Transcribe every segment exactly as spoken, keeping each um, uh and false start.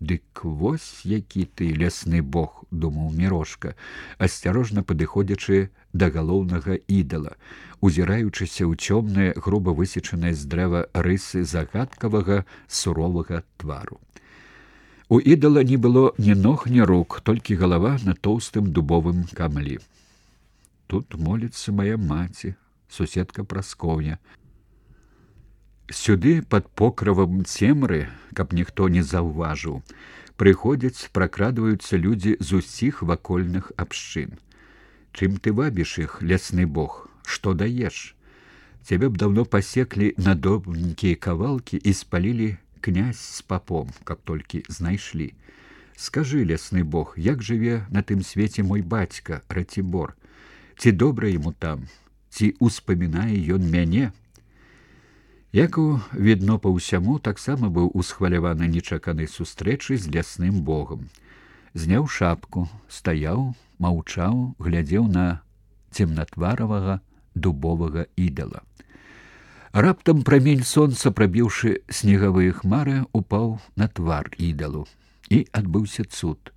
Дык вось які ты лясны бог, думаў Мірошка, асцярожна падыходзячы да галоўнага ідала, узіраючыся ў цёмныя, груба высечаныя з дрэва рысы загадкавага суровага твару. У ідала не было ні ног, ні рук, толькі галава на тоўстым дубовым камлі. Тут моліцца моя маці, суседка Праскоўня. Сюды, пад покрывам цемры, каб ніхто не заўважыў, прыходзяць, пракрадваюцца людзі з усіх вакольных абшчын. Чым ты вабіш іх, лясны бог, што даеш? Цябе б даўно пасеклі на добренькія кавалкі і спалілі князь з папом, каб толькі знайшлі. Скажы, лясны бог, як жыве на тым свеце мой бацька, Ратибор? Ці добра яму там? Ці успамінае ён мяне? Якаў, відно па ўсяму, таксама быў усхваляваны нечаканай сустрэчай з лясным богам. Зняў шапку, стаяў, маўчаў, глядзеў на цемнатваравага дубовага ідала. Раптам прамень сонца, прабіўшы снегавыя хмары, упаў на твар ідалу. І адбыўся цуд.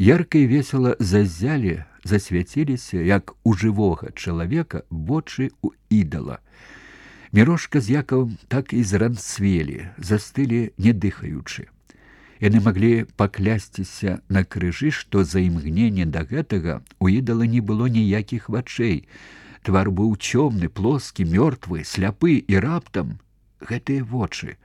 Ярка і весела заззялі, засвяціліся, як у жывога чалавека, вочы ў ідала. Мірошка з Якавам так і зранцвелі, застылі не дыхаючы. Яны маглі паклясціся на крыжы, што за імгненне да гэтага у ідала не было ніякіх вачэй. Твар быў цёмны, плоскі, мёртвы, сляпы, і раптам гэтыя вочы.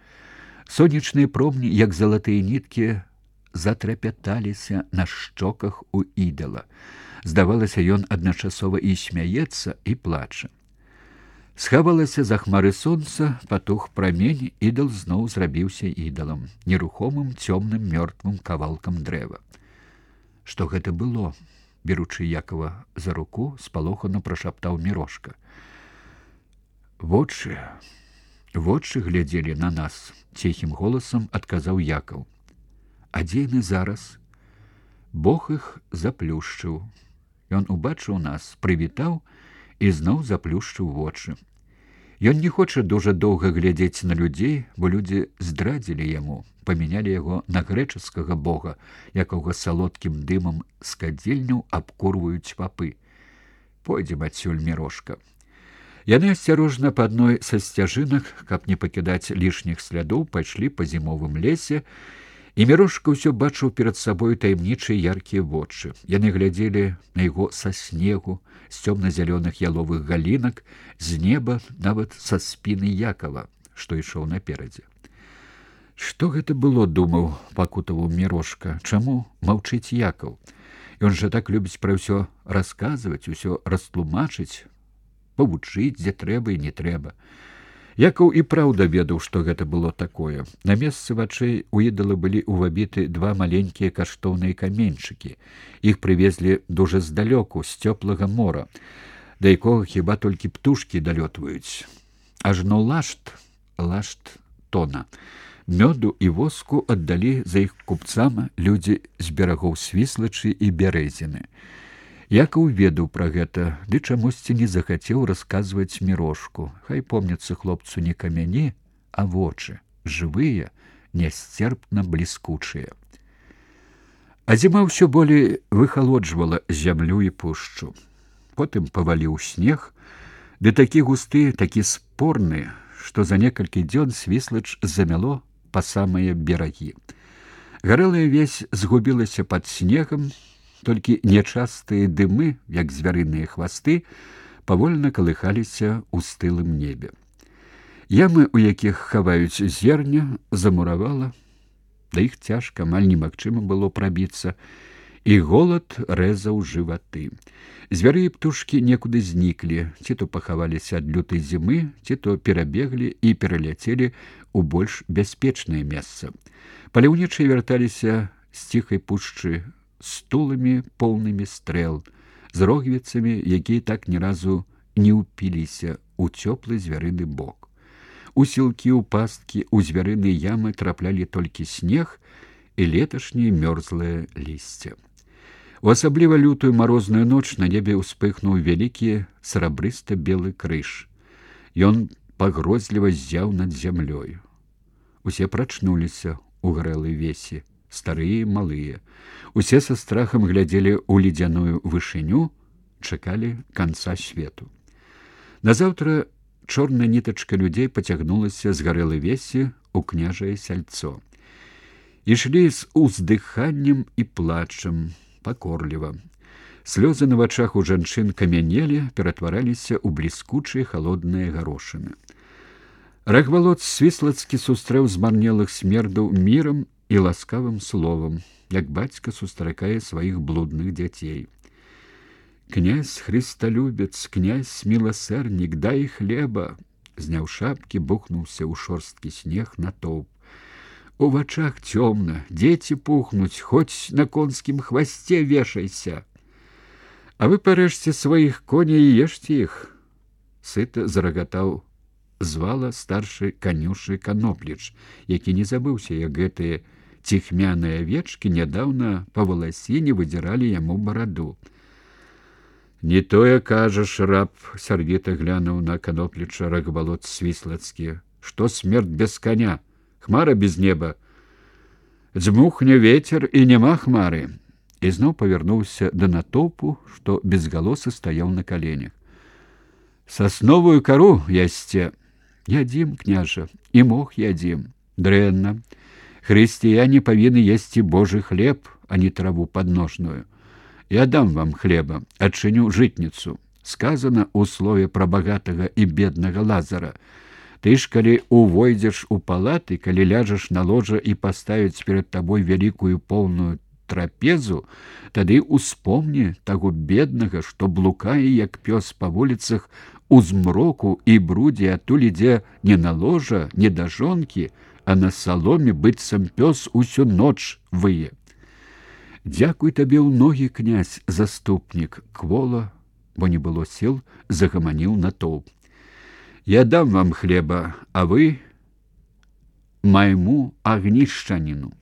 Сонечныя промні, як залатыя ніткі, затрапяталіся на шчоках у ідала. Здавалася, ён адначасова і смяецца, і плача. Схавалася за хмары сонца, патух прамень, ідал зноў зрабіўся ідалам, нерухомым цёмным мёртвым кавалкам дрэва. Што гэта было? Беручы Якова за руку, спалохана прашаптаў Мірошка. Вочы, вочы глядзелі на нас, ціхім голасам адказаў Якаў. А дзе яны зараз? Бог іх заплюшчыў. Ён убачыў нас, прывітаў і зноў заплюшчыў вочы. Ён не хоча дужа доўга глядзець на людзей, бо людзі здрадзілі яму, памянялі яго на грэчаскага бога, якога салодкім дымам з кадзельняў абкурваюць папы. Пойдзем адсюль, Мірошка. Яны асцярожна па адной са сцяжынак, каб не пакідаць лішніх слядоў, пайшлі па зімовым лесе, і Мірошка ўсё бачыў перад сабою таямнічыя яркія вочы. Яны глядзелі на яго са снегу, з цёмна-зялёных яловых галінак, з неба, нават са спіны Якава, што ішоў наперадзе. Што гэта было, думаў, пакутаваў Мірошка, чаму маўчыць Якаў? Ён жа так любіць пра ўсё расказваць, усё растлумачыць, павучыць, дзе трэба і не трэба. Якаў і праўда ведаў, што гэта было такое. На месцы вачэй у ідала былі ўвабіты два маленькія каштоўныя каменьчыкі. Іх прывезлі дужа здалёку, з цёплага мора, да якога хіба толькі птушкі далётваюць. Ажно лашт, лашт тона. Мёду і воску аддалі за іх купцам людзі з берагоў Свіслачы і Бярэзіны. Якаў ведаў пра гэта, ды чамусьці не захацеў расказваць Мірошку. Хай помняцца хлопцу не камяні, а вочы, жывыя, нясцерпна бліскучыя. А зіма ўсё болей выхалоджвала зямлю і пушчу. Потым паваліў снег, ды такі густы, такі спорны, што за некалькі дзён Свіслач замяло па самыя берагі. Гарэлая весь згубілася пад снегам, толькі нячастыя дымы, як звярыныя хвасты, павольна калыхаліся ў стылым небе. Ямы, у якіх хаваюць зерня, замуравала, да іх цяжка, амаль немагчыма было прабіцца, і голад рэзаў жываты. Звяры і птушкі некуды зніклі, ці то пахаваліся ад лютай зімы, ці то перабеглі і пераляцелі ў больш бяспечнае месца. Паляўнічыя вярталіся з ціхай пушчы стуламі поўнымі стрэл, з рогвіцамі, якія так ні разу не ўпіліся ў цёплы звярыны бок. У сілкі, у пасткі, у звярыны ямы траплялі толькі снег і леташняе мёрзлае лісце. У асабліва лютую марозную ноч на небе ўспыхнуў вялікі срабрыста-белы крыж. Ён пагрозліва ззяў над зямлёю. Усе прачнуліся ў гарэлай весе. старыя і малыя. Усе са страхам глядзелі ў ледзяную вышыню, чакалі канца свету. Назаўтра чорная нітачка людзей пацягнулася з гарэлай весі ў княжае сяльцо. Ішлі з уздыханнем і плачам, пакорліва. Слёзы на вачах у жанчын камянелі, ператвараліся ў бліскучыя халодныя гарошыны. Рагвалод Свіслацкі сустрэў змарнелых смердаў мірам і ласкавым словам, як бацька сустракае сваіх блудных дзяцей. «Князь христолюбец, князь милосердник, дай хлеба!» Зняў шапкі, бухнуўся ў шорсткі снег натоўп. «У вачах цёмна, дзеці пухнуць, хоць на конскім хвасце вешайся! А вы парэжце сваіх коней і ешце іх!» Сыта зарагатаў звала старшы канюшы Канопліч, які не забыўся, як гэтыя ціхмяныя авечкі нядаўна па валасіне выдзіралі яму бараду. «Не тое кажаш, раб!» — сярдзіта глянуў на Канопліча Рагвалод Свіслацкі. «Што смерць без коня? Хмара без неба. Дзьмухне ветер, і няма хмары!» І зноў павярнуўся да натоўпу, што безгалосы стаяў на каленях. «Сасновую кару ясце!» «Ядзім, княжа, і мох ядзім. Дрэнна. Хрысціяне павінны есці Божы хлеб, а не траву падножную. Я дам вам хлеба, адчыню жытніцу. Сказано ў слове пра багатага і беднага Лазара. Ты ж, калі увойдзеш у палаты, калі ляжаш на ложа і паставіць перад табой вялікую поўную трапезу, тады успомні таго беднага, што блукае, як пёс па вуліцах у змроку і брудзе, адтуль ідзе не на ложа, не да жонкі, а на саломе быццам пёс усю ноч вые. Дзякуй табе ў ногі, князь, заступнік!» Квола, бо не было сіл, загаманіў натоўп. «Я дам вам хлеба, а вы майму агнішчаніну».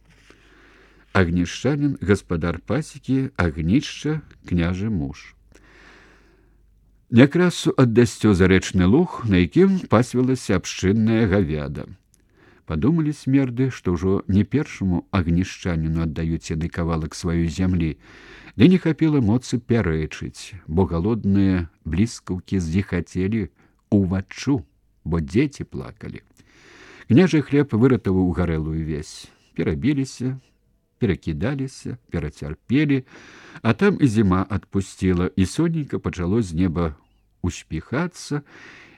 Агнішчанін — гаспадар пасекі, агнішча — княжы муж. Някрасу аддасцё зарэчны луг, на якім пасвілася абшчынная гавяда. Падумалі смерды, што ўжо не першаму агнішчаніну аддаюць яны кавалак сваёй зямлі, ды не хапіла моцы пярэчыць, бо галодныя бліскаўкі зіхацелі уваччу, бо дзеці плакалі. Княжы хлеб выратаваў гарэлую весь. Перабіліся, перакідаліся, перацярпелі, а там і зіма адпусціла, і сонейка пачало з неба успіхацца,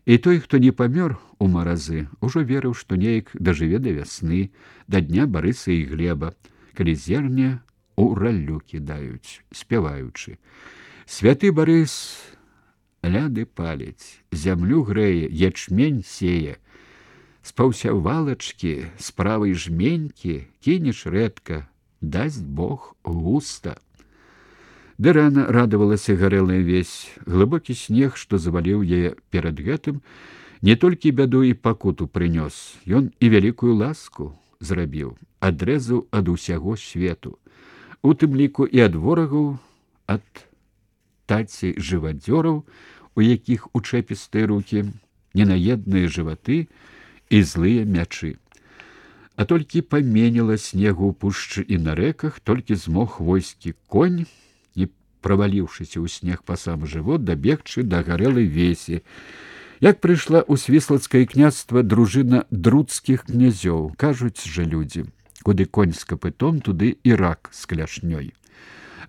і той, хто не памёр у маразы, ужо верыў, што неяк дажыве да вясны, да дня Барыса і Глеба, калі зерне ў раллю кідаюць, спяваючы. Святы Барыс ляды паліць, зямлю грэе, ячмень сее, з паўсявалачкі, з правай жменькі кінеш рэдка, дасць Бог густа. Ды рана радавалася гарэлая весь. Глыбокі снег, што заваліў яе перад гэтым, не толькі бяду і пакуту прынёс, ён і вялікую ласку зрабіў, адрэзаў ад усяго свету, у тым ліку і ад ворагаў, ад таці жывадзёраў, у якіх учэпістыя рукі, ненаедныя жываты і злыя мячы. А толькі паменіла снегу ў пушчы і на рэках, толькі змог войскі конь, не праваліўшыся ў снег па сам жывот, дабегчы да гарэлай весі. Як прыйшла ў свіслацкае княства дружына друцкіх князёў, кажуць жа людзі, куды конь з капытом, туды і рак з кляшнёй.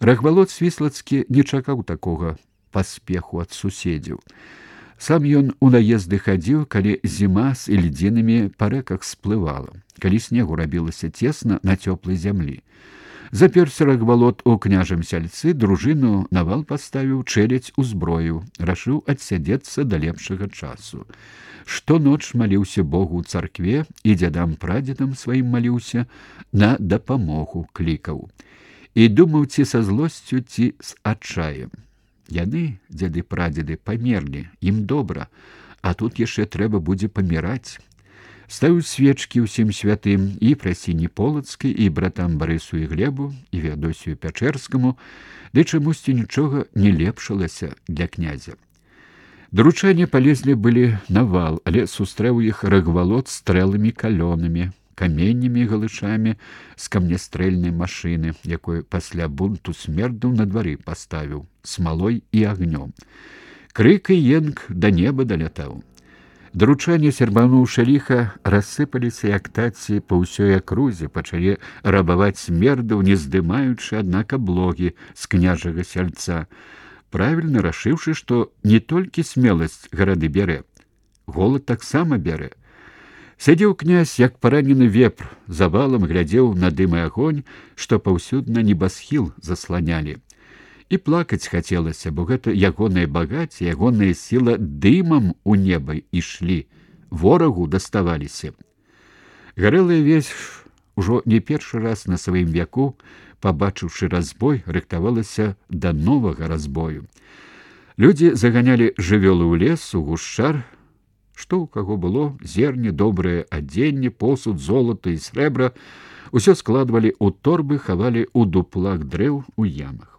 Рагвалод Свіслацкі не чакаў такога паспеху ад суседзяў. Сам ён у наезды хадзіў, калі зіма з ільдзінамі па рэках сплывала, калі снегу рабілася цесна на цёплай зямлі. Заперся Рагвалод у княжым сяльцы, дружыну на вал паставіў, чэлядзь узброіў, рашыў адсядзецца да лепшага часу. Штоноч маліўся Богу ў царкве і дзядам-прадзедам сваім маліўся, на дапамогу клікаў. І думаў, ці са злосцю, ці з адчаем. Яны, дзяды-прадзеды, памерлі, ім добра, а тут яшчэ трэба будзе паміраць. Ставіў свечкі ўсім святым і Прасіні Полацкай, і братам Барысу і Глебу, і Феадосію Пячэрскаму, ды чамусьці нічога не лепшалася для князя. Даручане палезлі былі на вал, але сустрэў іх Рагвалод стрэлымі калёнамі, каменнямі і галышамі з камнястрэльнай машыны, якой пасля бунту смердаў на двары паставіў, смалой і агнём. Крык і енк да неба далятаў. Даручанні сербануўшы ліха рассыпаліся як таці па ўсёй акрузе, пачалі рабаваць смердаў, не здымаючы, аднак, аблогі з княжага сяльца, правільна рашыўшы, што не толькі смеласць гарады бярэ, голад таксама бярэ. Сядзеў князь, як паранены вепр, завалам глядзеў на дым і агонь, што паўсюдна небасхіл засланялі. І плакаць хацелася, бо гэта ягоныя багацце, ягоная сіла дымам у неба ішлі, ворагу даставаліся. Гарэлая весь ужо не першы раз на сваім вяку, пабачыўшы разбой, рыхтавалася да новага разбою. Людзі заганялі жывёлы ў лес, у гушчар, што ў каго было, зерне, добрае адзенне, посуд, золата і срэбра, усё складвалі ў торбы, хавалі ў дуплах дрэў, у ямах.